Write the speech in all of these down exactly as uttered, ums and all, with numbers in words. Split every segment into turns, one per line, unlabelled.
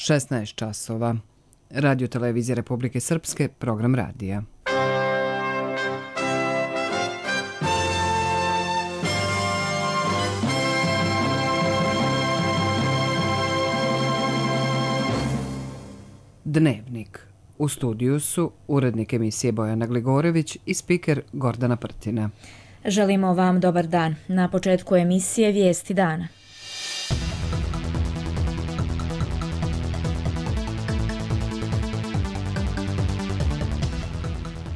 šesnaest časova. Radio Televizija Republike Srpske, program radija. Dnevnik. U studiju su urednik emisije Bojana Gligorević i spiker Gordana Prtina.
Želimo vam dobar dan. Na početku emisije Vijesti dana.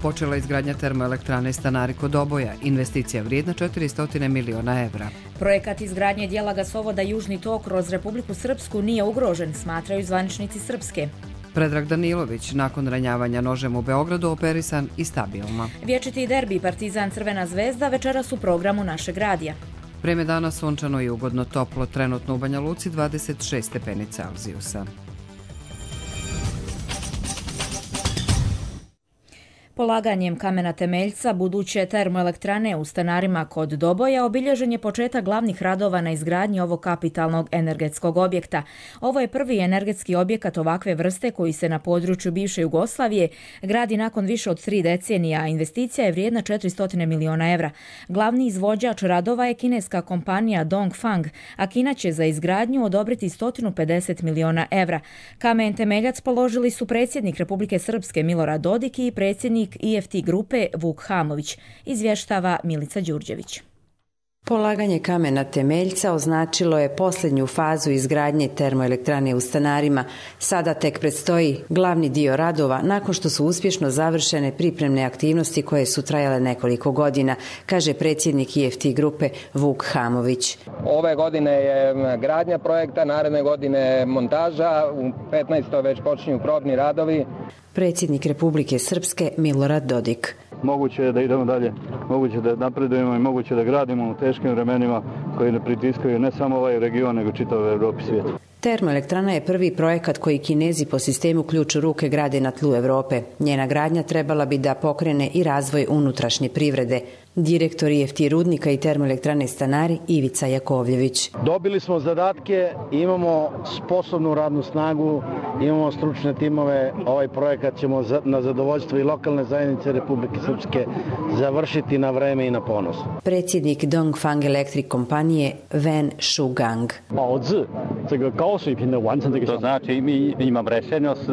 Počela izgradnja termoelektrane Stanari kod Doboja, investicija vrijedna četiristo miliona evra.
Projekat izgradnje dijela gasovoda Južni tok kroz Republiku Srpsku nije ugrožen, smatraju zvaničnici Srpske.
Predrag Danilović, nakon ranjavanja nožem u Beogradu, operisan i stabilno.
Vječiti derbi Partizan Crvena zvezda večeras u programu našeg radija.
Vreme dana sunčano i ugodno toplo, trenutno u Banja Luci dvadeset šest stepeni Celzijusa.
Polaganjem kamena temeljca buduće termoelektrane u Stanarima kod Doboja obilježen je početak glavnih radova na izgradnji ovog kapitalnog energetskog objekta. Ovo je prvi energetski objekat ovakve vrste koji se na području bivše Jugoslavije gradi nakon više od tri decenija, a investicija je vrijedna četiristo miliona evra. Glavni izvođač radova je kineska kompanija Dongfang, a Kina će za izgradnju odobriti sto pedeset miliona evra. Kamen temeljac položili su predsjednik Republike Srpske Milorad Dodik i predsjednik I F T grupe Vuk Hamović, izvještava Milica Đurđević.
Polaganje kamena temeljca označilo je posljednju fazu izgradnje termoelektrane u Stanarima. Sada tek predstoji glavni dio radova nakon što su uspješno završene pripremne aktivnosti koje su trajale nekoliko godina, kaže predsjednik I F T grupe Vuk Hamović.
Ove godine je gradnja projekta, naredne godine montaža, u petnaestoj već počinju probni radovi.
Predsjednik Republike Srpske Milorad Dodik.
Moguće je da idemo dalje, moguće da napredujemo i moguće da gradimo u teškim vremenima koji ne pritiskaju ne samo ovaj region, nego čitav Evropi i svijet.
Termoelektrana je prvi projekat koji Kinezi po sistemu ključ u ruke grade na tlu Evrope. Njena gradnja trebala bi da pokrene i razvoj unutrašnje privrede. Direktor I F T rudnika i termoelektrane Stanari Ivica Jakovljević.
Dobili smo zadatke, imamo sposobnu radnu snagu, imamo stručne timove. Ovaj projekat ćemo na zadovoljstvo i lokalne zajednice Republike Srpske završiti na vreme i na ponos.
Predsjednik Dongfang Electric kompanije Wen Shugang.
To znači mi imamo rešenost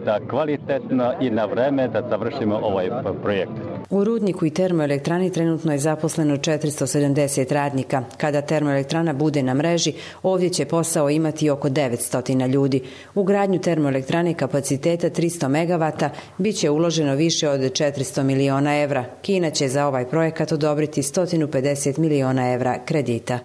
da kvalitetno i na vreme da završimo ovaj projekt.
U rudniku i termoelektrani trenutno je zaposleno četiristo sedamdeset radnika. Kada termoelektrana bude na mreži, ovdje će posao imati oko devetsto ljudi. U gradnju termoelektrane kapaciteta tristo megavata bit će uloženo više od četiristo miliona evra. Kina će za ovaj projekat odobriti sto pedeset miliona evra kredita.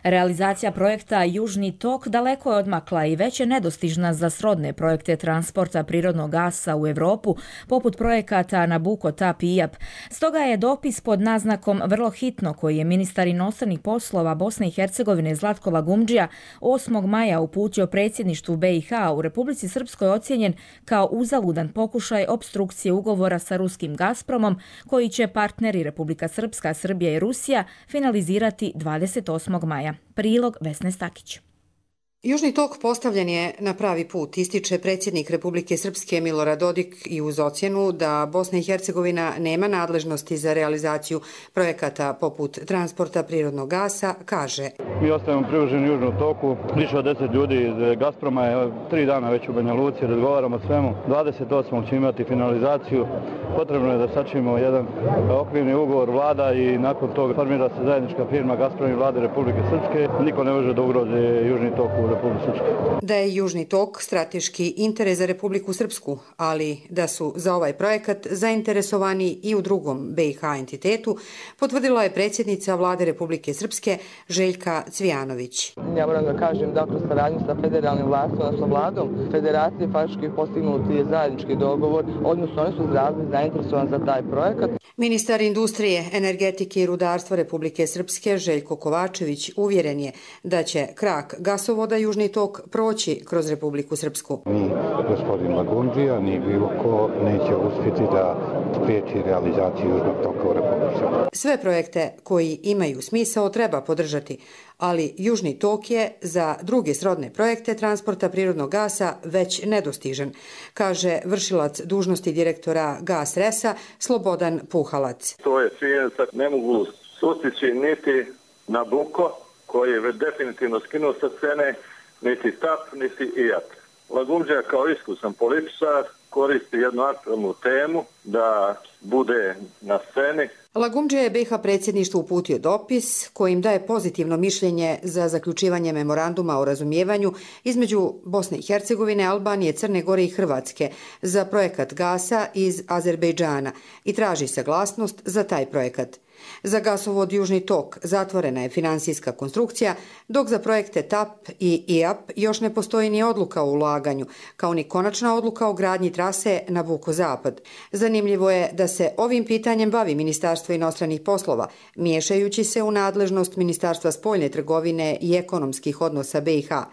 Realizacija projekta Južni tok daleko je odmakla i već je nedostižna za srodne projekte transporta prirodnog gasa u Evropu, poput projekata Nabucco, T A P i I A P. Stoga je dopis pod naznakom vrlo hitno koji je ministar inostranih poslova Bosne i Hercegovine Zlatko Lagumdžija osmog maja uputio predsjedništvu B i H u Republici Srpskoj ocijenjen kao uzaludan pokušaj opstrukcije ugovora sa ruskim Gazpromom, koji će partneri Republika Srpska, Srbija i Rusija finalizirati dvadeset osmog maja. Prilog Vesne Stakić.
Južni tok postavljen je na pravi put, ističe predsjednik Republike Srpske Milorad Dodik i uz ocjenu da Bosna i Hercegovina nema nadležnosti za realizaciju projekata poput transporta prirodnog gasa, kaže.
Mi ostajemo privrženi Južnom toku, više od deset ljudi iz Gazproma je tri dana već u Banja Luci, razgovaramo o svemu. dvadeset osmog ćemo imati finalizaciju, potrebno je da sačinimo jedan okvirni ugovor vlada i nakon toga formira se zajednička firma Gazprom i vlade Republike Srpske. Niko ne može da ugrozi Južni tok u
da je Južni tok strateški interes za Republiku Srpsku, ali da su za ovaj projekat zainteresovani i u drugom B i H entitetu, potvrdila je predsjednica vlade Republike Srpske Željka Cvijanović.
Ja moram da kažem da kroz saradnju sa federalnim vlastima, odnosno vladom federacije faktički postignuti je zajednički dogovor, odnosno oni su izrazili zainteresovani za taj projekat.
Ministar industrije, energetike i rudarstva Republike Srpske Željko Kovačević uvjeren je da će krak gasovoda Južni tok proći kroz Republiku Srpsku.
Ni gospodin Lagumdžija, ni bilo ko neće uspjeti da spriječi realizaciju Južnog toka u Republici
završimo.
Sve projekte koji imaju smisao treba podržati, ali Južni tok je za druge srodne projekte transporta prirodnog gasa već nedostižan, kaže vršilac dužnosti direktora Gas Resa Slobodan Puhalac.
To je činjenica, ne mogu sustići niti Nabucco, koji je već definitivno skinuo sa scene, niti TAP, niti I A P. Lagumdžija kao iskusan političar koristi jednu aktualnu temu da bude na sceni.
Lagumdžija je B i H predsjedništvu uputio dopis kojim daje pozitivno mišljenje za zaključivanje memoranduma o razumijevanju između Bosne i Hercegovine, Albanije, Crne Gore i Hrvatske za projekat gasa iz Azerbejdžana i traži saglasnost za taj projekat. Za gasovod Južni tok zatvorena je finansijska konstrukcija, dok za projekte TAP i I A P još ne postoji ni odluka o ulaganju, kao ni konačna odluka o gradnji trase Nabucco-Zapad. Zanimljivo je da se ovim pitanjem bavi Ministarstvo inostranih poslova, miješajući se u nadležnost Ministarstva spoljne trgovine i ekonomskih odnosa B i H.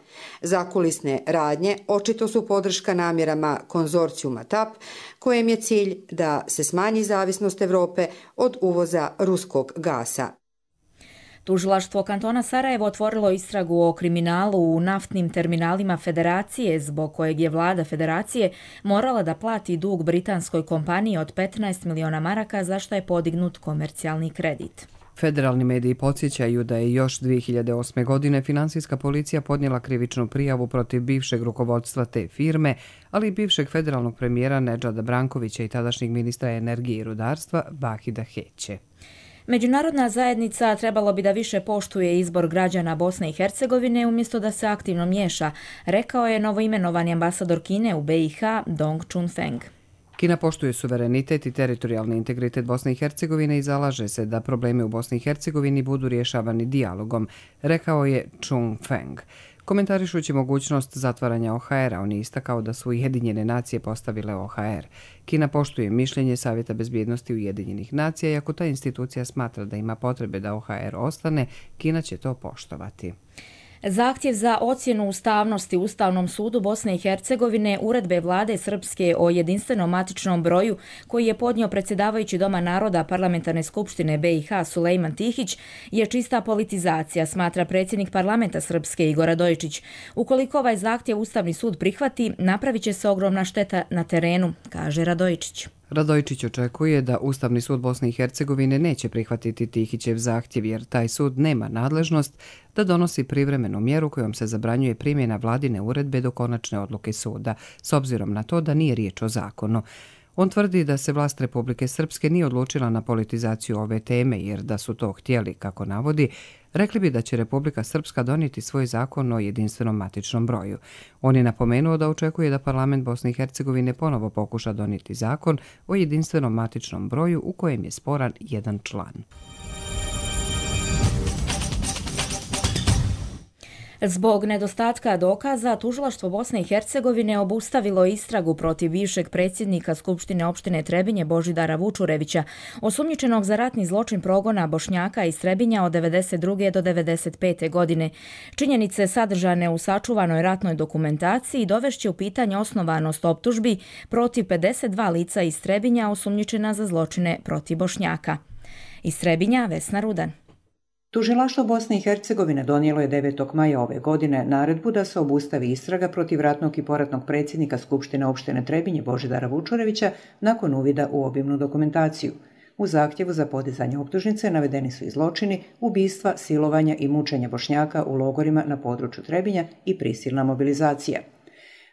Zakulisne radnje očito su podrška namjerama konzorcijuma TAP, kojem je cilj da se smanji zavisnost Evrope od uvoza ruskog gasa.
Tužilaštvo kantona Sarajevo otvorilo istragu o kriminalu u naftnim terminalima Federacije, zbog kojeg je vlada Federacije morala da plati dug britanskoj kompaniji od petnaest miliona maraka, za što je podignut komercijalni kredit.
Federalni mediji podsjećaju da je još dvije hiljade osme. godine finansijska policija podnijela krivičnu prijavu protiv bivšeg rukovodstva te firme, ali i bivšeg federalnog premijera Nedžada Brankovića i tadašnjeg ministra energije i rudarstva Vahida Heće.
Međunarodna zajednica trebalo bi da više poštuje izbor građana Bosne i Hercegovine umjesto da se aktivno miješa, rekao je novoimenovani ambasador Kine u B i H Dong Chunfeng.
Kina poštuje suverenitet i teritorijalni integritet Bosne i Hercegovine i zalaže se da problemi u Bosni i Hercegovini budu rješavani dijalogom, rekao je Chunfeng. Komentarišući mogućnost zatvaranja O H R-a, on je istakao da su Ujedinjene nacije postavile O H R. Kina poštuje mišljenje Savjeta bezbjednosti Ujedinjenih nacija i ako ta institucija smatra da ima potrebe da O H R ostane, Kina će to poštovati.
Zahtjev za ocjenu ustavnosti Ustavnom sudu Bosne i Hercegovine uredbe vlade Srpske o jedinstvenom matičnom broju koji je podnio predsjedavajući Doma naroda Parlamentarne skupštine B i H Sulejman Tihić je čista politizacija, smatra predsjednik parlamenta Srpske Igor Radojičić. Ukoliko ovaj zahtjev Ustavni sud prihvati, napravit će se ogromna šteta na terenu, kaže Radojičić.
Radojičić očekuje da Ustavni sud Bosne i Hercegovine neće prihvatiti Tihićev zahtjev jer taj sud nema nadležnost da donosi privremenu mjeru kojom se zabranjuje primjena vladine uredbe do konačne odluke suda, s obzirom na to da nije riječ o zakonu. On tvrdi da se vlast Republike Srpske nije odlučila na politizaciju ove teme jer da su to htjeli, kako navodi, rekli bi da će Republika Srpska donijeti svoj zakon o jedinstvenom matičnom broju. On je napomenuo da očekuje da parlament Bosne i Hercegovine ponovo pokuša donijeti zakon o jedinstvenom matičnom broju u kojem je sporan jedan član.
Zbog nedostatka dokaza, Tužilaštvo Bosne i Hercegovine obustavilo istragu protiv bivšeg predsjednika Skupštine opštine Trebinje Božidara Vučurevića, osumnjičenog za ratni zločin progona Bošnjaka iz Trebinja od devedeset druge do devedeset pete. godine. Činjenice sadržane u sačuvanoj ratnoj dokumentaciji dovešće u pitanje osnovanost optužbi protiv pedeset dva lica iz Trebinja osumnjičena za zločine protiv Bošnjaka. Iz Trebinja, Vesna Rudan.
Tužilaštvo Bosne i Hercegovine donijelo je devetog maja ove godine naredbu da se obustavi istraga protiv ratnog i poratnog predsjednika Skupštine opštine Trebinje Božidara Vučurevića nakon uvida u obimnu dokumentaciju. U zahtjevu za podizanje optužnice navedeni su i zločini, ubistva, silovanja i mučenja Bošnjaka u logorima na području Trebinja i prisilna mobilizacija.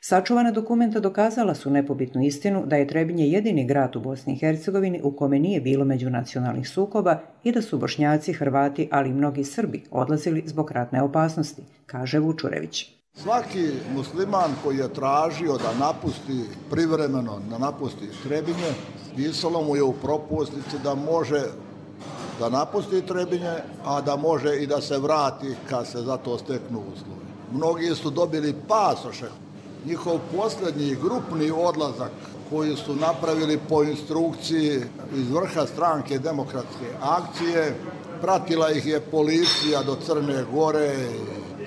Sačuvana dokumenta dokazala su nepobitnu istinu da je Trebinje jedini grad u Bosni i Hercegovini u kome nije bilo međunacionalnih sukoba i da su Bošnjaci, Hrvati, ali i mnogi Srbi odlazili zbog ratne opasnosti, kaže Vučurević.
Svaki musliman koji je tražio da napusti privremeno, da napusti Trebinje, pisalo mu je u propusnici da može da napusti Trebinje, a da može i da se vrati kad se za to steknu uslovi. Mnogi su dobili pasoše. Njihov posljednji grupni odlazak koji su napravili po instrukciji iz vrha stranke Demokratske akcije, pratila ih je policija do Crne Gore,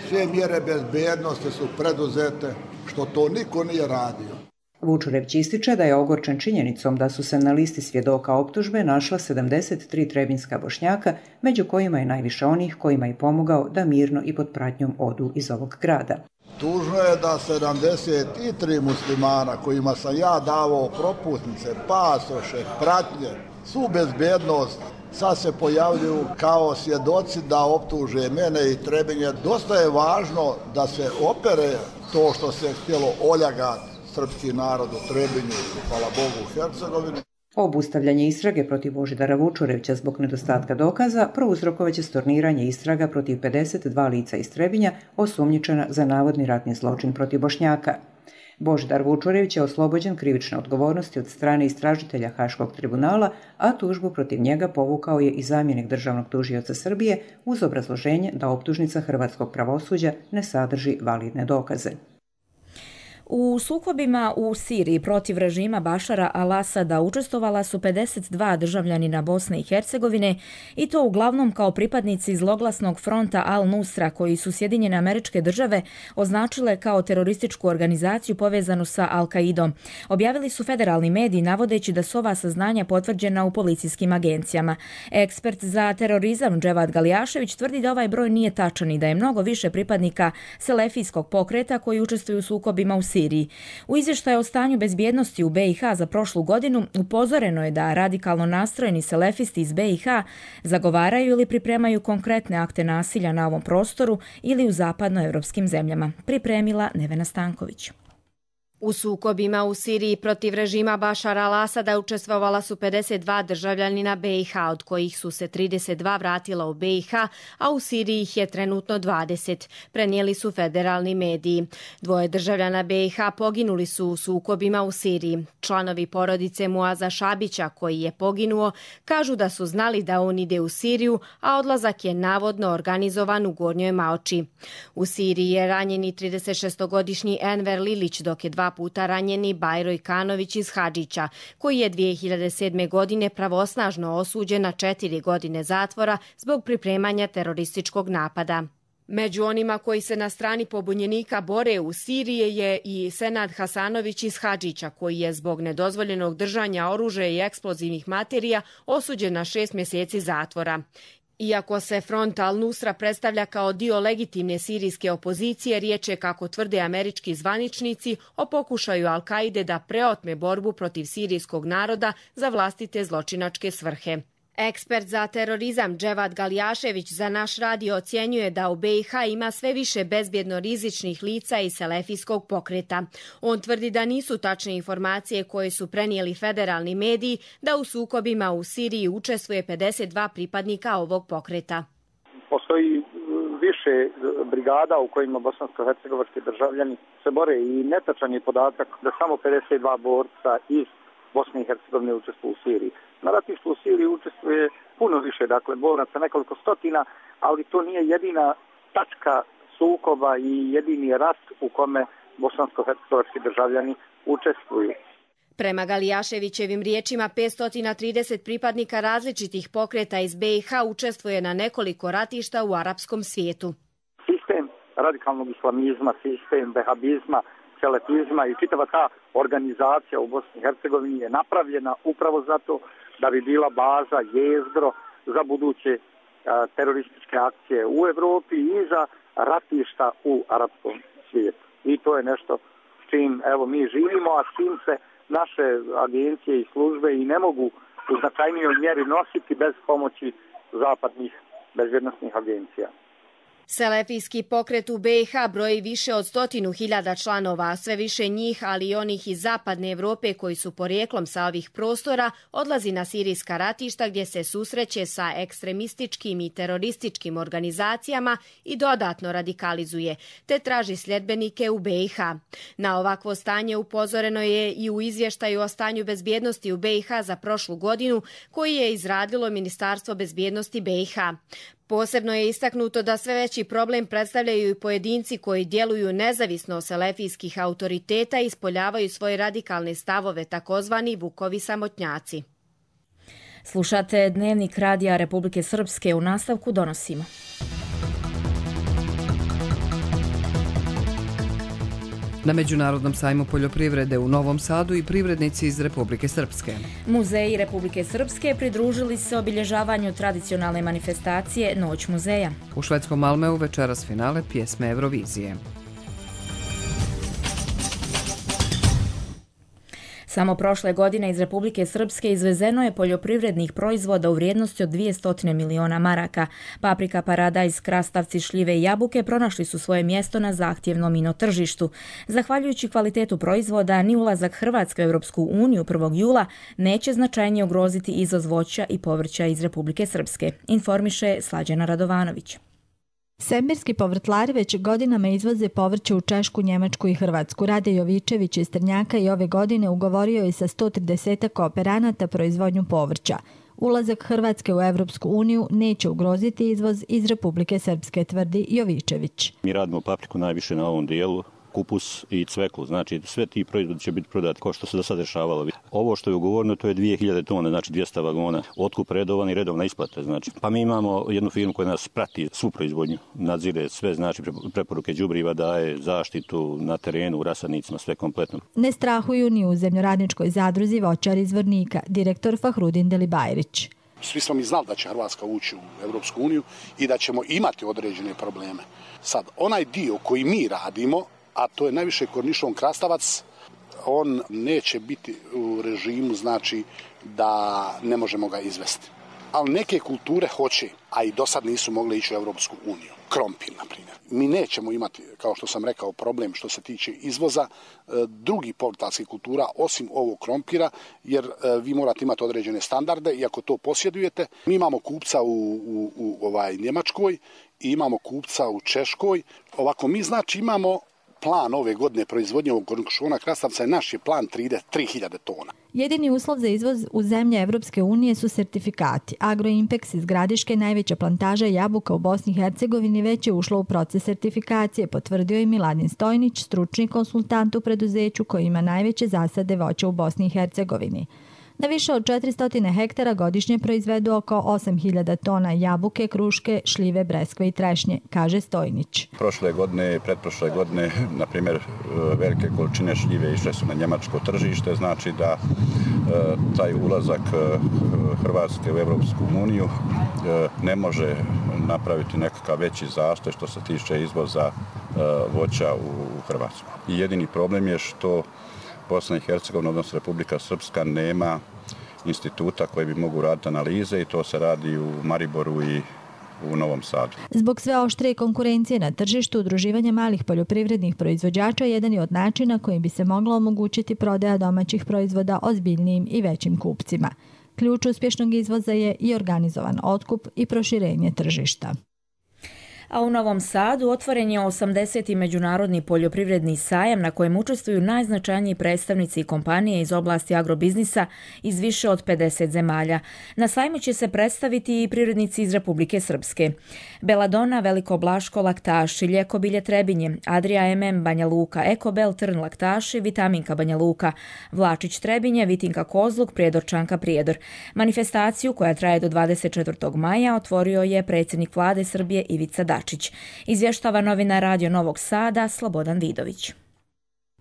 sve mjere bezbednosti su preduzete, što to niko nije radio.
Vučurević ističe da je ogorčen činjenicom da su se na listi svjedoka optužbe našla sedamdeset tri trebinjska Bošnjaka, među kojima je najviše onih kojima je pomogao da mirno i pod pratnjom odu iz ovog grada.
Tužno je da sedamdeset tri muslimana kojima sam ja davao propusnice, pasoše, pratnje, svu bezbednost, sad se pojavljuju kao svjedoci da optuže mene i Trebinje. Dosta je važno da se opere to što se htjelo oljagati srpski narod u Trebinju, hvala Bogu, u Hercegovini.
Obustavljanje istrage protiv Božidara Vučurevića zbog nedostatka dokaza prouzrokovaće storniranje istraga protiv pedeset dva lica iz Trebinja osumnjičena za navodni ratni zločin protiv Bošnjaka. Božidar Vučurević je oslobođen krivične odgovornosti od strane istražitelja Haškog tribunala, a tužbu protiv njega povukao je i zamjenik državnog tužioca Srbije uz obrazloženje da optužnica hrvatskog pravosuđa ne sadrži validne dokaze.
U sukobima u Siriji protiv režima Bašara al-Asada učestvovala su pedeset dva državljanina Bosne i Hercegovine i to uglavnom kao pripadnici zloglasnog fronta Al-Nusra koji su Sjedinjene Američke Države označile kao terorističku organizaciju povezanu sa Al-Kaidom. Objavili su federalni mediji navodeći da su ova saznanja potvrđena u policijskim agencijama. Ekspert za terorizam Dževad Galijašević tvrdi da ovaj broj nije tačan i da je mnogo više pripadnika selefijskog pokreta koji učestvuju u sukobima u Siriji. U izvještaju o stanju bezbjednosti u be i ha za prošlu godinu upozoreno je da radikalno nastrojeni selefisti iz be i ha zagovaraju ili pripremaju konkretne akte nasilja na ovom prostoru ili u zapadnoevropskim zemljama. Pripremila Nevena Stanković.
U sukobima u Siriji protiv režima Bašara al-Asada učestvovala su pedeset dva državljanina be i ha, od kojih su se trideset dva vratila u be i ha, a u Siriji ih je trenutno dvadeset, prenijeli su federalni mediji. Dvoje državljana be i ha poginuli su u sukobima u Siriji. Članovi porodice Muaza Šabića, koji je poginuo, kažu da su znali da on ide u Siriju, a odlazak je navodno organizovan u Gornjoj Maoči. U Siriji je ranjeni tridesetšestogodišnji Enver Lilić, dok je dva puta ranjeni Bajro Ikanović iz Hadžića, koji je dvije hiljade sedme. godine pravosnažno osuđen na četiri godine zatvora zbog pripremanja terorističkog napada. Među onima koji se na strani pobunjenika bore u Siriji je i Senad Hasanović iz Hadžića, koji je zbog nedozvoljenog držanja oružja i eksplozivnih materija osuđen na šest mjeseci zatvora. Iako se front Al-Nusra predstavlja kao dio legitimne sirijske opozicije, riječ je, kako tvrde američki zvaničnici, o pokušaju Al-Kaide da preotme borbu protiv sirijskog naroda za vlastite zločinačke svrhe. Ekspert za terorizam Dževad Galijašević za naš radio ocjenjuje da u be i ha ima sve više bezbjedno rizičnih lica iz selefijskog pokreta. On tvrdi da nisu tačne informacije koje su prenijeli federalni mediji da u sukobima u Siriji učestvuje pedeset dva pripadnika ovog pokreta.
Postoji više brigada u kojima bosansko-hercegovački državljani se bore i netačan je podatak da samo pedeset dva borca iz Bosne i Hercegovine učestvuju u Siriji. Na ratištu u Siriji učestvuje puno više, dakle, boraca, nekoliko stotina, ali to nije jedina tačka sukoba i jedini rat u kome bosansko-hercegovački državljani učestvuju.
Prema Galijaševićevim riječima, petsto trideset pripadnika različitih pokreta iz be i ha učestvuje na nekoliko ratišta u arapskom svijetu.
Sistem radikalnog islamizma, sistem vehabizma, selefizma i čitava ta organizacija u Bosni i Hercegovini je napravljena upravo zato da bi bila baza, jezgro za buduće a, terorističke akcije u Evropi i za ratišta u arapskom svijetu. I to je nešto s čim evo mi živimo, a s čim se naše agencije i službe i ne mogu u značajnijoj mjeri nositi bez pomoći zapadnih bezbjednosnih agencija.
Selefijski pokret u be i ha broji više od stotinu hiljada članova, sve više njih, ali i onih iz zapadne Evrope koji su porijeklom sa ovih prostora, odlazi na sirijska ratišta gdje se susreće sa ekstremističkim i terorističkim organizacijama i dodatno radikalizuje, te traži sljedbenike u be i ha. Na ovakvo stanje upozoreno je i u izvještaju o stanju bezbjednosti u be i ha za prošlu godinu, koji je izradilo Ministarstvo bezbjednosti be i ha. Posebno je istaknuto da sve veći problem predstavljaju i pojedinci koji djeluju nezavisno od selefijskih autoriteta i ispoljavaju svoje radikalne stavove, takozvani Vukovi samotnjaci.
Slušate Dnevnik Radija Republike Srpske, u nastavku donosimo.
Na Međunarodnom sajmu poljoprivrede u Novom Sadu i privrednici iz Republike Srpske.
Muzeji Republike Srpske pridružili se obilježavanju tradicionalne manifestacije Noć muzeja.
U švedskom Malmeu večeras finale pjesme Eurovizije.
Samo prošle godine iz Republike Srpske izvezeno je poljoprivrednih proizvoda u vrijednosti od dvjesto miliona maraka. Paprika, paradajz, krastavci, šljive i jabuke pronašli su svoje mjesto na zahtjevnom ino tržištu. Zahvaljujući kvalitetu proizvoda, ni ulazak Hrvatske u Europsku uniju prvog jula neće značajnije ugroziti izvoz voća i povrća iz Republike Srpske, informiše Slađana Radovanović.
Semirski povrtlari već godinama izvoze povrće u Češku, Njemačku i Hrvatsku. Rade Jovičević iz Trnjaka i ove godine ugovorio je sa sto trideset kooperanata proizvodnju povrća. Ulazak Hrvatske u Evropsku uniju neće ugroziti izvoz iz Republike Srpske, tvrdi Jovičević.
Mi radimo papriku najviše na ovom dijelu, kupus i cveklu, znači sve ti proizvodi će biti prodati kao što se do sada dešavalo. Ovo što je ugovoreno to je dvije hiljade tone, znači dvjesto vagona, otkup redovan i redovna isplata. Znači. Pa mi imamo jednu firmu koja nas prati svu proizvodnju, nadzire sve, znači preporuke đubriva, daje zaštitu na terenu, u rasadnicima, sve kompletno.
Ne strahuju ni u zemljoradničkoj zadruzi voćar iz Vornika, direktor Fahrudin Delibajrić.
Svi smo mi znali da će Hrvatska ući u Europsku uniju i da ćemo imati određene probleme. Sad, onaj dio koji mi radimo, a to je najviše kornišon krastavac, on neće biti u režimu, znači da ne možemo ga izvesti. Ali neke kulture hoće, a i do sad nisu mogle ići u Europsku uniju. Krompir, na primjer. Mi nećemo imati, kao što sam rekao, problem što se tiče izvoza drugih povrtlarskih kultura, osim ovog krompira, jer vi morate imati određene standarde i ako to posjedujete. Mi imamo kupca u, u, u ovaj, Njemačkoj i imamo kupca u Češkoj. Ovako, mi znači imamo plan ove godine proizvodnje ovog kornišona krastavca, je naš je plan tri hiljade tona.
Jedini uslov za izvoz u zemlje Evropske unije su sertifikati. Agroimpex iz Gradiške, najveća plantaža jabuka u Bosni i Hercegovini, već je ušlo u proces sertifikacije, potvrdio je Miladin Stojnić, stručni konsultant u preduzeću koji ima najveće zasade voća u Bosni i Hercegovini. Na više od četiristo hektara godišnje proizvedu oko osam hiljada tona jabuke, kruške, šljive, breskve i trešnje, kaže Stojnić.
Prošle godine i pretprošle godine, na primjer, velike količine šljive išle su na njemačko tržište, znači da taj ulazak Hrvatske u Europsku uniju ne može napraviti nekakav veći zastoj što se tiče izvoza voća u Hrvatsku. I jedini problem je što Bosna i Hercegovina, odnosno Republika Srpska, nema instituta koji bi mogu raditi analize i to se radi u Mariboru i u Novom Sadu.
Zbog sve oštrije konkurencije na tržištu, udruživanje malih poljoprivrednih proizvođača jedan je od načina kojim bi se mogla omogućiti prodaja domaćih proizvoda ozbiljnijim i većim kupcima. Ključ uspješnog izvoza je i organizovan otkup i proširenje tržišta.
A u Novom Sadu otvoren je osamdeseti međunarodni poljoprivredni sajam na kojem učestvuju najznačajniji predstavnici i kompanije iz oblasti agrobiznisa iz više od pedeset zemalja. Na sajmu će se predstaviti i privrednici iz Republike Srpske. Beladona, Veliko Blaško, Laktaši, Ljekobilje Trebinje, Adria M M Banja Luka, Ekobel Trn Laktaši, Vitaminka Banja Luka, Vlačić Trebinje, Vitinka Kozluk, Prijedorčanka Prijedor. Manifestaciju koja traje do dvadeset četvrtog maja otvorio je predsjednik vlade Srbije Ivica Dačić. Izvještava novinar Radio Novog Sada Slobodan Vidović.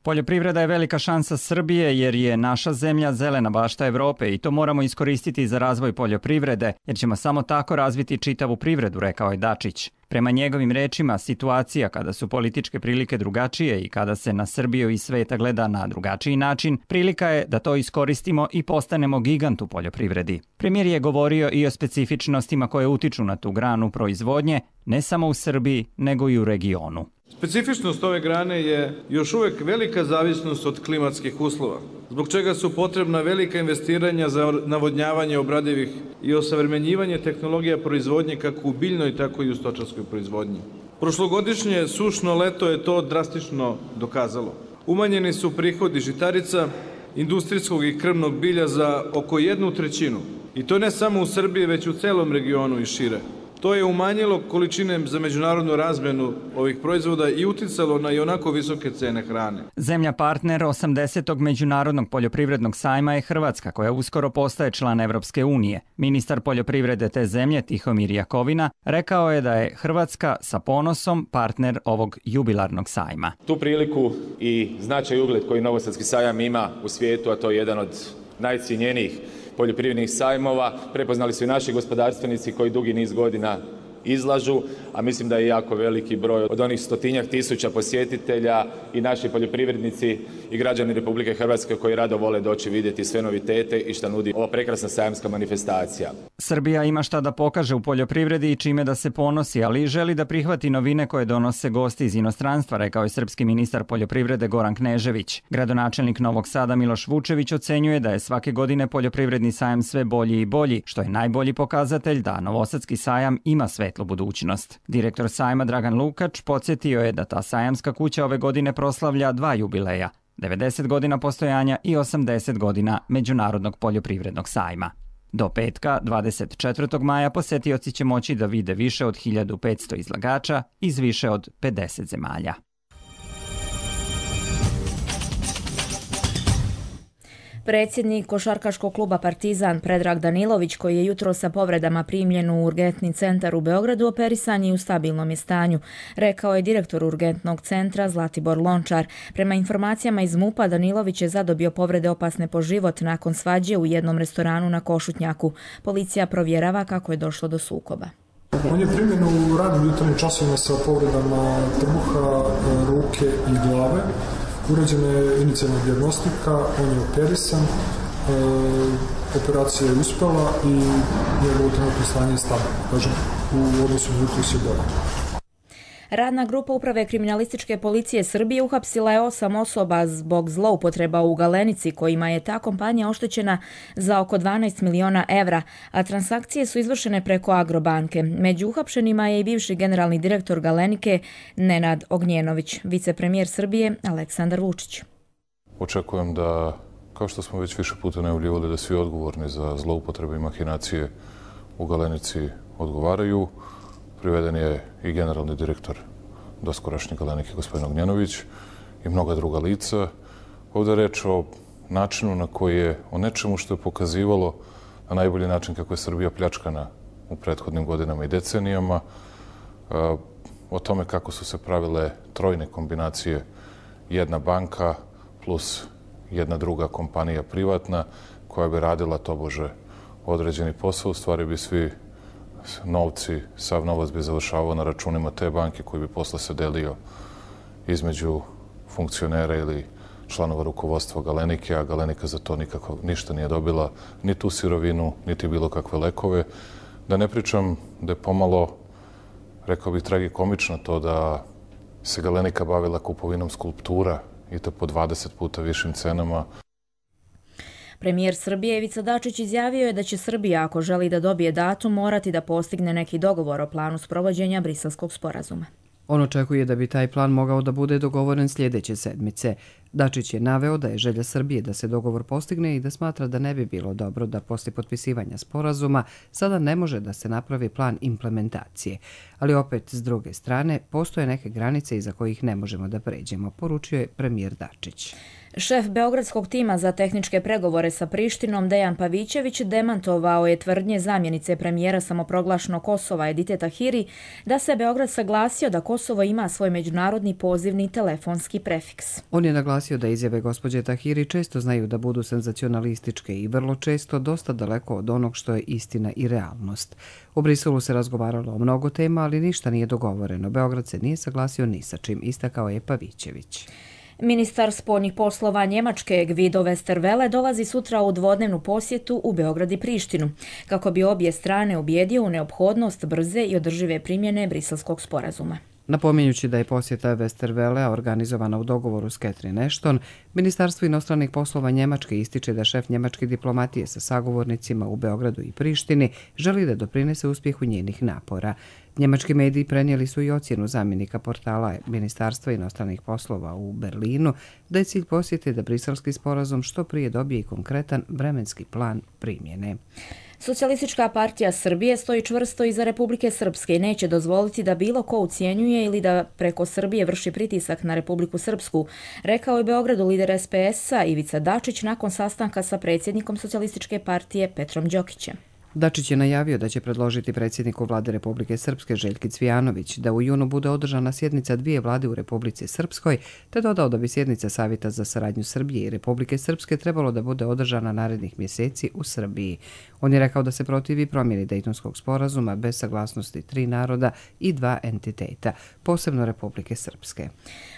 Poljoprivreda je velika šansa Srbije jer je naša zemlja zelena bašta Evrope i to moramo iskoristiti za razvoj poljoprivrede jer ćemo samo tako razviti čitavu privredu, rekao je Dačić. Prema njegovim rečima, situacija kada su političke prilike drugačije i kada se na Srbiju i sveta gleda na drugačiji način, prilika je da to iskoristimo i postanemo gigant u poljoprivredi. Premijer je govorio i o specifičnostima koje utiču na tu granu proizvodnje, ne samo u Srbiji, nego i u regionu.
Specifičnost ove grane je još uvijek velika zavisnost od klimatskih uslova, zbog čega su potrebna velika investiranja za navodnjavanje obradivih i osavremenjivanje tehnologija proizvodnje kako u biljnoj, tako i u stočarskoj proizvodnji. Prošlogodišnje sušno leto je to drastično dokazalo. Umanjeni su prihodi žitarica, industrijskog i krvnog bilja za oko jednu trećinu. I to ne samo u Srbiji, već u celom regionu i šire. To je umanjilo količine za međunarodnu razmjenu ovih proizvoda i uticalo na ionako visoke cene hrane.
Zemlja partner osamdesetog međunarodnog poljoprivrednog sajma je Hrvatska, koja uskoro postaje član Evropske unije. Ministar poljoprivrede te zemlje, Tihomir Jakovina, rekao je da je Hrvatska sa ponosom partner ovog jubilarnog sajma.
Tu priliku i značaj i ugled koji Novosadski sajam ima u svijetu, a to je jedan od najcijenjenijih poljoprivrednih sajmova, prepoznali su i naši gospodarstvenici koji dugi niz godina izlažu, a mislim da je jako veliki broj od onih stotinjak tisuća posjetitelja i naši poljoprivrednici i građani Republike Hrvatske koji rado vole doći vidjeti sve novitete i šta nudi ova prekrasna sajamska manifestacija.
Srbija ima šta da pokaže u poljoprivredi i čime da se ponosi, ali želi da prihvati novine koje donose gosti iz inostranstva, rekao je srpski ministar poljoprivrede Goran Knežević. Gradonačelnik Novog Sada Miloš Vučević ocenjuje da je svake godine poljoprivredni sajam sve bolji i bolji, što je najbolji pokazatelj da Novosadski sajam ima svetlu budućnost. Direktor sajma Dragan Lukač podsjetio je da ta sajamska kuća ove godine proslavlja dva jubileja, devedeset godina postojanja i osamdeset godina Međunarodnog poljoprivrednog sajma. Do petka, dvadeset četvrtog maja, posetioci će moći da vide više od hiljadu petsto izlagača iz više od pedeset zemalja.
Predsjednik košarkaškog kluba Partizan Predrag Danilović, koji je jutro sa povredama primljen u urgentni centar u Beogradu, operisan je u stabilnom je stanju, rekao je direktor urgentnog centra Zlatibor Lončar. Prema informacijama iz MUP-a, Danilović je zadobio povrede opasne po život nakon svađe u jednom restoranu na Košutnjaku. Policija provjerava kako je došlo do sukoba.
On je primljen u radnim jutarnjim časovima sa povredama trbuha, ruke i glave. Urađena je inicijalna dijagnostika, on je operisan, e, operacija je uspela i njegovo trenutno stanje je stabilno. Kažem, u odnosu na jutro se bolje.
Radna grupa Uprave kriminalističke policije Srbije uhapsila je osam osoba zbog zloupotreba u Galenici, kojima je ta kompanija oštećena za oko dvanaest miliona evra, a transakcije su izvršene preko Agrobanke. Među uhapšenima je i bivši generalni direktor Galenike Nenad Ognjenović, vicepremijer Srbije Aleksandar Vučić.
Očekujem da, kao što smo već više puta najavljivali, da svi odgovorni za zloupotrebe i mahinacije u Galenici odgovaraju. Priveden je i generalni direktor doskorašnje Galenike, gospodin Ognjenović, i mnoga druga lica. Ovdje je reč o načinu na koji je, o nečemu što je pokazivalo na najbolji način kako je Srbija pljačkana u prethodnim godinama i decenijama, o tome kako su se pravile trojne kombinacije, jedna banka plus jedna druga kompanija privatna koja bi radila tobože određeni posao. U stvari bi svi novci, sav novac bi završavao na računima te banke koji bi posle se delio između funkcionera ili članova rukovodstva Galenike, a Galenika za to nikako ništa nije dobila, ni tu sirovinu, niti bilo kakve lekove. Da ne pričam da je pomalo, rekao bih, tragikomično to da se Galenika bavila kupovinom skulptura i to po dvadeset puta višim cenama.
Premijer Srbije Ivica Dačić izjavio je da će Srbija, ako želi da dobije datum, morati da postigne neki dogovor o planu sprovođenja Briselskog sporazuma.
On očekuje da bi taj plan mogao da bude dogovoren sljedeće sedmice. Dačić je naveo da je želja Srbije da se dogovor postigne i da smatra da ne bi bilo dobro da poslije potpisivanja sporazuma sada ne može da se napravi plan implementacije. Ali opet, s druge strane, postoje neke granice iza kojih ne možemo da pređemo, poručio je premijer Dačić.
Šef beogradskog tima za tehničke pregovore sa Prištinom Dejan Pavićević demantovao je tvrdnje zamjenice premijera samoproglašenog Kosova Edite Tahiri da se Beograd saglasio da Kosovo ima svoj međunarodni pozivni telefonski prefiks.
On je naglasio da izjave gospođe Tahiri često znaju da budu senzacionalističke i vrlo često dosta daleko od onog što je istina i realnost. U Briselu se razgovaralo o mnogo tema, ali ništa nije dogovoreno. Beograd se nije saglasio ni sa čim, istakao je Pavićević.
Ministar spoljnih poslova Njemačke Guido Westerwelle dolazi sutra u dvodnevnu posjetu u Beograd i Prištinu, kako bi obje strane ubijedio u neophodnost brze i održive primjene Briselskog sporazuma.
Napominjući da je posjeta Westerwellea organizovana u dogovoru s Catherine Ashton, Ministarstvo inostranih poslova Njemačke ističe da šef njemačke diplomatije sa sagovornicima u Beogradu i Prištini želi da doprinese uspjehu njenih napora. Njemački mediji prenijeli su i ocjenu zamjenika portala Ministarstva inostranih poslova u Berlinu da je cilj posjete da briselski sporazum što prije dobije i konkretan vremenski plan primjene.
Socijalistička partija Srbije stoji čvrsto iza Republike Srpske i neće dozvoliti da bilo ko ucijenjuje ili da preko Srbije vrši pritisak na Republiku Srpsku, rekao je Beogradu lider es pe es-a Ivica Dačić nakon sastanka sa predsjednikom Socijalističke partije Petrom Đokićem.
Dačić je najavio da će predložiti predsjedniku vlade Republike Srpske Željki Cvijanović da u junu bude održana sjednica dvije vlade u Republici Srpskoj, te dodao da bi sjednica Savjeta za saradnju Srbije i Republike Srpske trebalo da bude održana narednih mjeseci u Srbiji. On je rekao da se protivi promjeni Dejtonskog sporazuma bez saglasnosti tri naroda i dva entiteta, posebno Republike Srpske.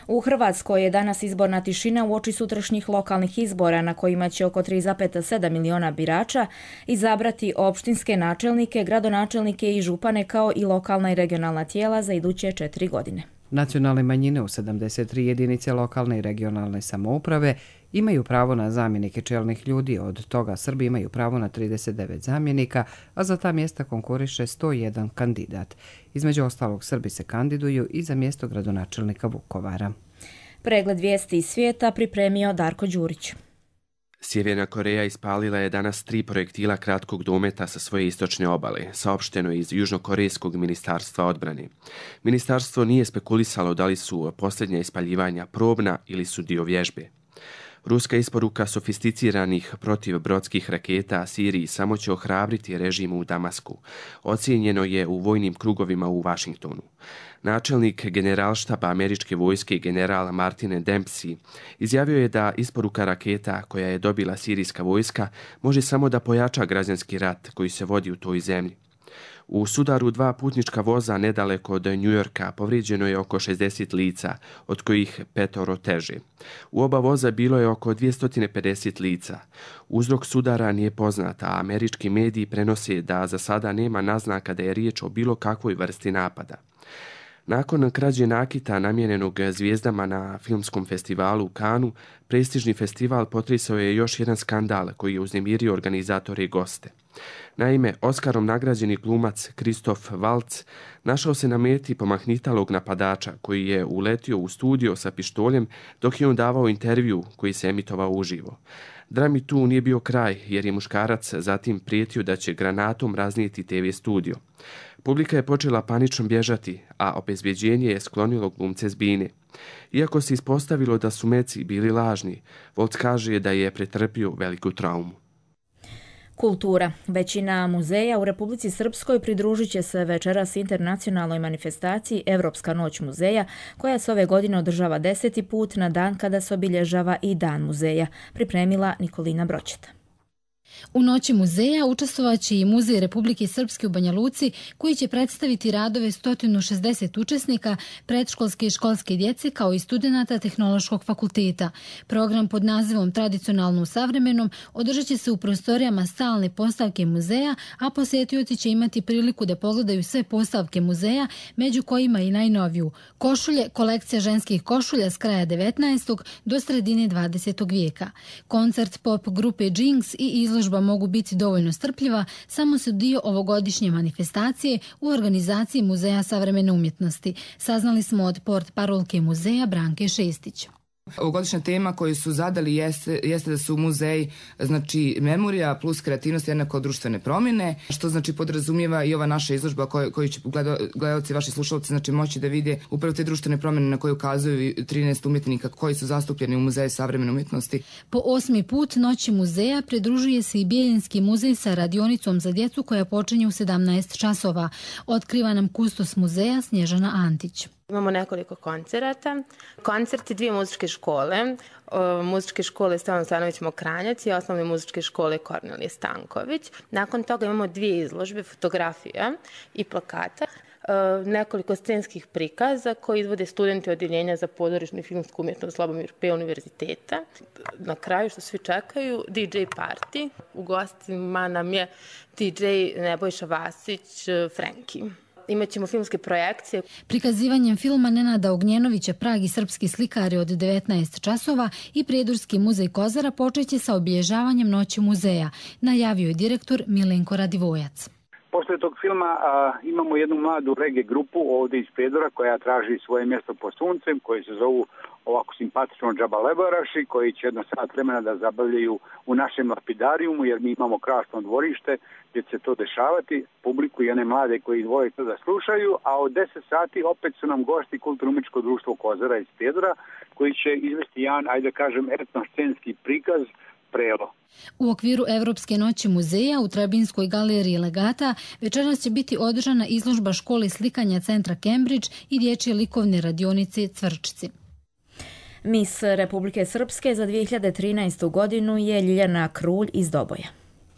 U Hrvatskoj je danas izborna tišina uoči sutrašnjih lokalnih izbora na kojima će oko tri zarez sedam miliona birača izabrati opštinske načelnike, gradonačelnike i župane kao i lokalna i regionalna tijela za iduće četiri godine.
Nacionalne manjine u sedamdeset tri jedinice lokalne i regionalne samouprave imaju pravo na zamjenike čelnih ljudi, od toga Srbi imaju pravo na trideset devet zamjenika, a za ta mjesta konkuriše sto jedan kandidat. Između ostalog, Srbi se kandiduju i za mjesto gradonačelnika Vukovara.
Pregled vijesti iz svijeta pripremio Darko Đurić.
Sjeverna Koreja ispalila je danas tri projektila kratkog dometa sa svoje istočne obale, saopšteno iz Južnokorejskog ministarstva odbrane. Ministarstvo nije spekulisalo da li su posljednja ispaljivanja probna ili su dio vježbe. Ruska isporuka sofisticiranih protivbrodskih raketa Siriji samo će ohrabriti režim u Damasku. Ocijenjeno je u vojnim krugovima u Vašingtonu. Načelnik generalštaba američke vojske general Martin Dempsey izjavio je da isporuka raketa koja je dobila sirijska vojska može samo da pojača građanski rat koji se vodi u toj zemlji. U sudaru dva putnička voza nedaleko od Njujorka povrijeđeno je oko šezdeset lica, od kojih petoro teže. U oba voza bilo je oko dvjesto pedeset lica. Uzrok sudara nije poznat, a američki mediji prenose da za sada nema naznaka da je riječ o bilo kakvoj vrsti napada. Nakon krađe nakita namijenjenog zvijezdama na filmskom festivalu u Cannesu, prestižni festival potresao je još jedan skandal koji je uznemirio organizatore i goste. Naime, Oskarom nagrađeni glumac Kristof Waltz našao se na meti pomahnitalog napadača koji je uletio u studio sa pištoljem dok je on davao intervju koji se emitovao uživo. Drami tu nije bio kraj jer je muškarac zatim prijetio da će granatom raznijeti te ve studio. Publika je počela panično bježati, a obezbjeđenje je sklonilo glumce s bine. Iako se ispostavilo da su meci bili lažni, Waltz kaže da je pretrpio veliku traumu.
Kultura. Većina muzeja u Republici Srpskoj pridružit će se večeras internacionalnoj manifestaciji Evropska noć muzeja, koja se ove godine održava deseti put na dan kada se obilježava i Dan muzeja, pripremila Nikolina Broćeta.
U noći muzeja učestvovaće i Muzej Republike Srpske u Banja Luci, koji će predstaviti radove sto šezdeset učesnika, predškolske i školske djece kao i studenata Tehnološkog fakulteta. Program pod nazivom Tradicionalno u savremenom održat će se u prostorijama stalne postavke muzeja, a posjetioci će imati priliku da pogledaju sve postavke muzeja, među kojima i najnoviju košulje, kolekcija ženskih košulja s kraja devetnaestog do sredine dvadesetog vijeka. Koncert pop grupe Jinx i izložba mogu biti dovoljno strpljiva, samo su dio ovogodišnje manifestacije u organizaciji Muzeja savremene umjetnosti. Saznali smo od portparolke muzeja Branke Šestić.
Ovogodišnja tema koju su zadali jeste, jeste da su muzeji, znači memorija plus kreativnost jednako društvene promjene, što znači podrazumijeva i ova naša izložba koju, koju će gledalci, vaši slušalci, znači moći da vide upravo te društvene promjene na koje ukazuju trinaest umjetnika koji su zastupljeni u Muzeju savremene umjetnosti.
Po osmi put Noći muzeja pridružuje se i Bijeljinski muzej sa radionicom za djecu koja počinje u sedamnaest časova. Otkriva nam kustos muzeja Snježana Antić.
Imamo nekoliko koncerata. Koncerti dvije muzičke škole. O, muzičke škole Stevan Stanović Mokranjac i osnovne muzičke škole Kornelije Stanković. Nakon toga imamo dvije izložbe fotografija i plakata. O, nekoliko scenskih prikaza koji izvode studenti odjeljenja za pozorišnu i filmsku umjetnost Slobomir P. univerziteta. Na kraju, što svi čekaju, di džej party. U gostima nam je di džej Nebojša Vasić, Frenki. Imaćemo filmske projekcije.
Prikazivanjem filma Nenada Ognjenovića Prag i srpski slikari od devetnaest časova i Prijedorski muzej Kozara počeće sa obilježavanjem Noći muzeja, najavio je direktor Milenko Radivojac.
Posle tog filma a, imamo jednu mladu reggae grupu ovdje iz Prijedora koja traži svoje mjesto pod suncem, koji se zovu ovako simpatično džabalebaraši koji će jedno sat vremena da zabavljaju u našem lapidarijumu, jer mi imamo krasno dvorište gdje će se to dešavati, publiku i one mlade koji vole to da slušaju, a od deset sati opet su nam gosti Kulturno-umetničko društvo Kozara iz Prijedora, koji će izvesti jedan, ajde kažem, etno-scenski prikaz Prelo.
U okviru Evropske noći muzeja u Trebinskoj galeriji Legata večeras će biti održana izložba škole slikanja centra Cambridge i dječje likovne radionice Cvrčci.
Mis Republike Srpske za dvije hiljade trinaestu godinu je Ljiljana Krulj iz Doboja.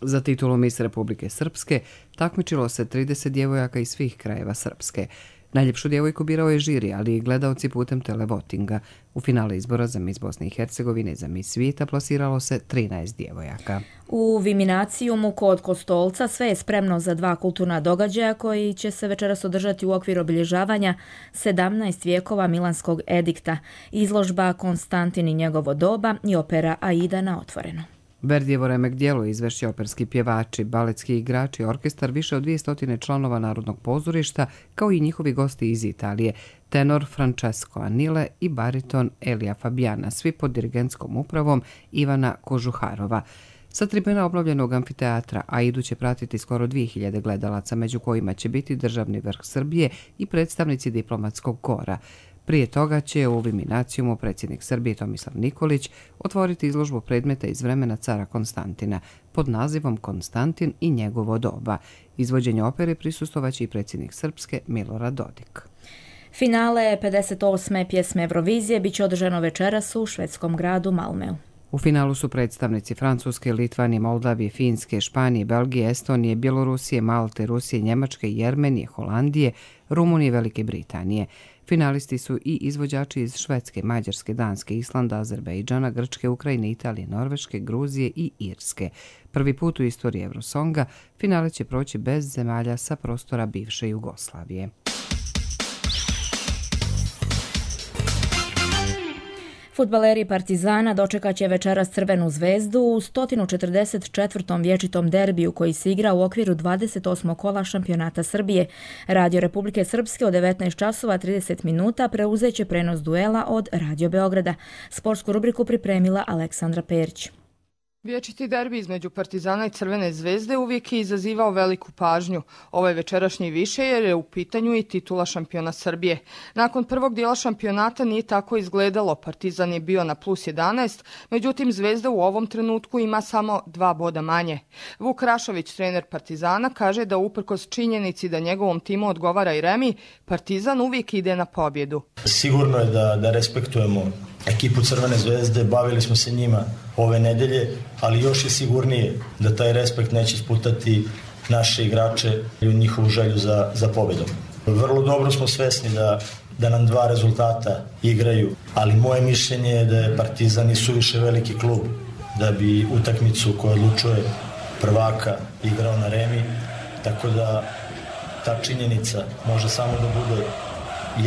Za titulu Mis Republike Srpske takmičilo se trideset djevojaka iz svih krajeva Srpske. Najljepšu djevojku birao je žiri, ali i gledaoci putem televotinga. U finale izbora za Mis Bosne i Hercegovine za Mis svijeta plasiralo se trinaest djevojaka.
U Viminacijumu kod Kostolca sve je spremno za dva kulturna događaja koji će se večeras održati u okviru obilježavanja sedamnaest vijekova Milanskog edikta, izložba Konstantin i njegovo doba i opera Aida na otvoreno.
Verdijevo remek djelo izvešće operski pjevači, baletski igrači, orkestar više od dvjesto članova Narodnog pozorišta, kao i njihovi gosti iz Italije, tenor Francesco Anile i bariton Elija Fabiana, svi pod dirigentskom upravom Ivana Kožuharova. Sa tribuna obnovljenog amfiteatra Aidu će pratiti skoro dvije hiljade gledalaca, među kojima će biti državni vrh Srbije i predstavnici diplomatskog kora. Prije toga će u Viminacijumu predsjednik Srbije Tomislav Nikolić otvoriti izložbu predmeta iz vremena cara Konstantina pod nazivom Konstantin i njegovo doba. Izvođenje opere prisustvovaće i predsjednik Srpske Milorad Dodik.
Finale pedeset osme pjesme Eurovizije biće održano večeras u švedskom gradu Malmeu.
U finalu su predstavnici Francuske, Litvanije, Moldavije, Finske, Španije, Belgije, Estonije, Bjelorusije, Malte, Rusije, Njemačke, Jermenije, Holandije, Rumunije i Velike Britanije. Finalisti su i izvođači iz Švedske, Mađarske, Danske, Islanda, Azerbejdžana, Grčke, Ukrajine, Italije, Norveške, Gruzije i Irske. Prvi put u istoriji Eurosonga finale će proći bez zemalja sa prostora bivše Jugoslavije.
Fudbaleri Partizana dočekat će večeras Crvenu zvezdu u sto četrdeset četvrtom vječitom derbiju koji se igra u okviru dvadeset osmog kola šampionata Srbije. Radio Republike Srpske od devetnaest časova trideset minuta preuzeće prenos duela od Radio Beograda. Sportsku rubriku pripremila Aleksandra Perić.
Vječiti derbi između Partizana i Crvene zvezde uvijek je izazivao veliku pažnju. Ovaj večerašnji više jer je u pitanju i titula šampiona Srbije. Nakon prvog dijela šampionata nije tako izgledalo. Partizan je bio na plus jedanaest, međutim Zvezda u ovom trenutku ima samo dva boda manje. Vuk Rašović, trener Partizana, kaže da uprkos činjenici da njegovom timu odgovara i remi, Partizan uvijek ide na pobjedu.
Sigurno je da, da respektujemo ekipu Crvene zvezde, bavili smo se njima ove nedelje, ali još je sigurnije da taj respekt neće sputati naše igrače i njihovu želju za, za pobjedom. Vrlo dobro smo svesni da, da nam dva rezultata igraju, ali moje mišljenje je da je Partizan i suviše veliki klub da bi utakmicu koja odlučuje prvaka igrao na remi, tako da ta činjenica može samo da bude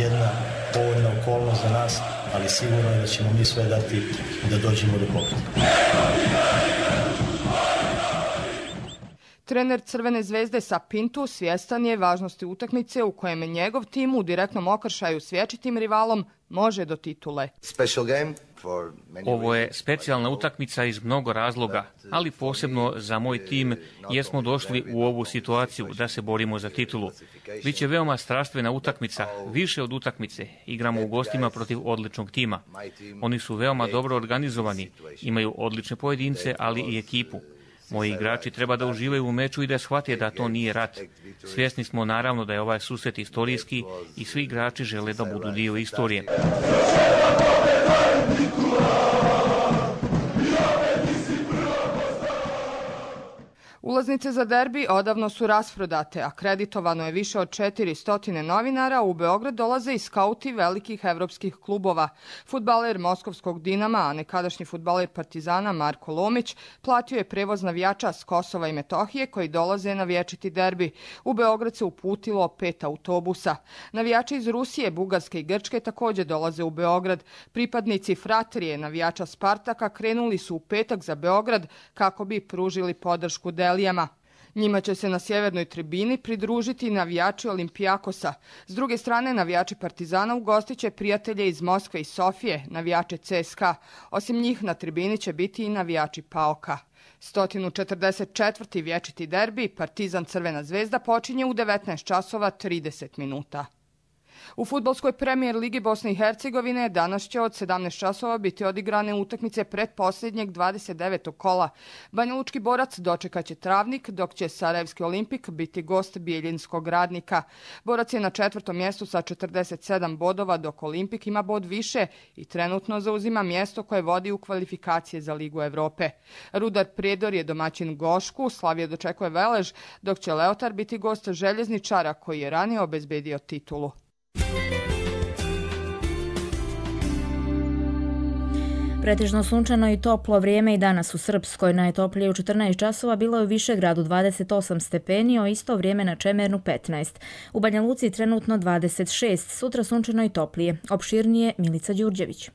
jedna povoljna okolnost za nas, ali sigurno je da ćemo mi sve dati da dođemo do pobjede.
Trener Crvene zvezde Sapintu svjestan je važnosti utakmice u kojem njegov tim u direktnom okršaju s vječitim rivalom može do titule.
Ovo je specijalna utakmica iz mnogo razloga, ali posebno za moj tim jer smo došli u ovu situaciju da se borimo za titulu. Biće veoma strastvena utakmica, više od utakmice. Igramo u gostima protiv odličnog tima. Oni su veoma dobro organizovani, imaju odlične pojedince, ali i ekipu. Moji igrači treba da uživaju u meču i da shvate da to nije rat. Svjesni smo naravno da je ovaj susret istorijski i svi igrači žele da budu dio istorije.
Ulaznice za derbi odavno su rasprodate, a kreditovano je više od četiristo novinara, u Beograd dolaze i skauti velikih evropskih klubova. Fudbaler Moskovskog Dinama, a nekadašnji fudbaler Partizana Marko Lomić, platio je prevoz navijača s Kosova i Metohije koji dolaze na vječiti derbi. U Beograd se uputilo pet autobusa. Navijači iz Rusije, Bugarske i Grčke također dolaze u Beograd. Pripadnici Fratrije, navijača Spartaka, krenuli su u petak za Beograd kako bi pružili podršku Deli. Njima će se na sjevernoj tribini pridružiti navijači Olimpijakosa. S druge strane, navijači Partizana ugostit će prijatelje iz Moskve i Sofije, navijače C S K A. Osim njih na tribini će biti i navijači PAOK-a. sto četrdeset četvrti vječiti derbi Partizan Crvena zvezda počinje u devetnaest časova trideset minuta. U fudbalskoj premijer ligi Bosne i Hercegovine danas će od sedamnaest časova biti odigrane utakmice pretposljednjeg dvadeset devetog kola. Banjalučki Borac dočekat će Travnik, dok će Sarajevski Olimpik biti gost Bijeljinskog Radnika. Borac je na četvrtom mjestu sa četrdeset sedam bodova, dok Olimpik ima bod više i trenutno zauzima mjesto koje vodi u kvalifikacije za Ligu Evrope. Rudar Prijedor je domaćin Gošku, Slavija dočekuje Velež, dok će Leotar biti gost Željezničara koji je ranije obezbedio titulu.
Pretežno sunčano i toplo vrijeme i danas u Srpskoj. Najtoplije u četrnaest časova bilo je u Višegradu dvadeset osam stepeni, o isto vrijeme na Čemernu petnaest. U Banja Luci trenutno dvadeset šest, sutra sunčano i toplije. Opširnije Milica Đurđević.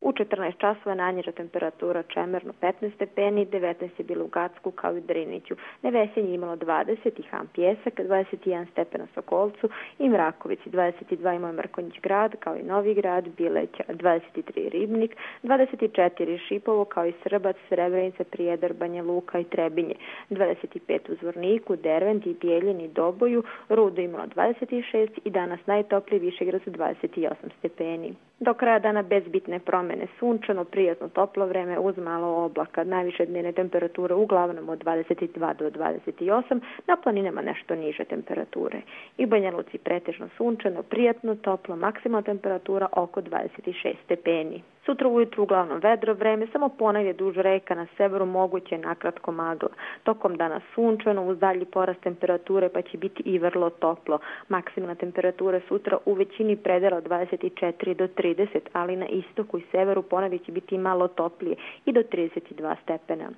U četrnaest časova najniža temperatura Čemerno petnaest stepeni, devetnaest je bilo u Gacku kao i u Driniću. Nevesenje imalo dvadeset i Ham Pjesak, dvadeset jedan stepen na Sokolcu i Mrakovici, dvadeset dva imao Mrkonjić grad kao i Novi grad, Bileća, dvadeset tri Ribnik, dvadeset četiri Šipovo kao i Srbac, Srebrenica, Prijedor, Banja Luka i Trebinje, dvadeset pet u Zvorniku, Dervent i Bijeljini, Doboju, Rudo imalo dvadeset šest i danas najtopliji Višegrad su dvadeset osam stepeni. Do kraja dana bez bitne promjene, sunčano, prijatno toplo vreme uz malo oblaka, najviše dnevne temperature uglavnom od dvadeset dva do dvadeset osam, na planinama nešto niže temperature. I Banja Luci pretežno sunčano, prijatno, toplo, maksimalna temperatura oko dvadeset šest stepeni. Sutra ujutru uglavnom vedro vreme, samo ponegdje duž reka na severu moguće nakratko magla. Tokom dana sunčano, uz dalji porast temperature pa će biti i vrlo toplo. Maksimalna temperatura sutra u većini predela od dvadeset četiri do trideset, ali na istoku i severu ponegdje će biti malo toplije i do trideset dva stepena.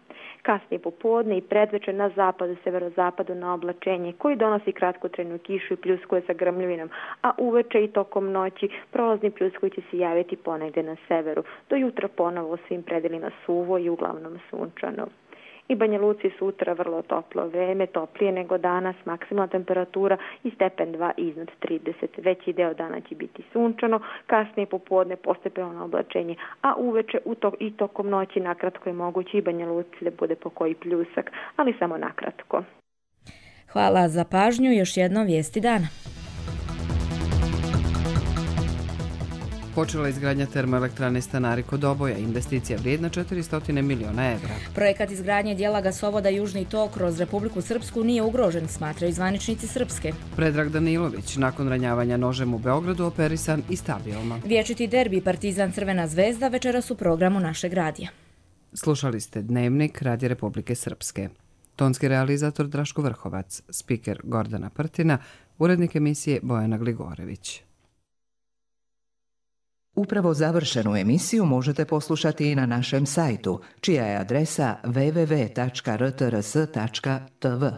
Kasnije popodne i predvečer na zapadu, severozapadu na oblačenje koji donosi kratkotrajnu kišu i pljuskuje sa grmljavinom, a uveče i tokom noći prolazni pljuskovi će se javiti ponegdje na severu. Do jutra ponovo u svim predelima suvo i uglavnom sunčano. I Banja Luci sutra vrlo toplo vreme, toplije nego danas, maksimalna temperatura i stepen dva iznad trideset. Veći deo dana će biti sunčano, kasnije popodne postepeno na oblačenje, a uveče u to, i tokom noći nakratko je moguće i Banja Luci da bude po koji pljusak, ali samo nakratko.
Hvala za pažnju, još jedno vijesti dana.
Počela izgradnja termoelektrane Stanari kod Doboja, investicija vrijedna četiristo miliona evra.
Projekat izgradnje dijela gasovoda Južni tok kroz Republiku Srpsku nije ugrožen, smatraju zvaničnici Srpske.
Predrag Danilović, nakon ranjavanja nožem u Beogradu, operisan i stabilno.
Vječiti derbi Partizan Crvena zvezda večeras u programu našeg radija.
Slušali ste Dnevnik Radija Republike Srpske. Tonski realizator Draško Vrhovac, spiker Gordana Prtina, urednik emisije Bojana Gligorević.
Upravo završenu emisiju možete poslušati i na našem sajtu, čija je adresa w w w tačka r t r s tačka t v.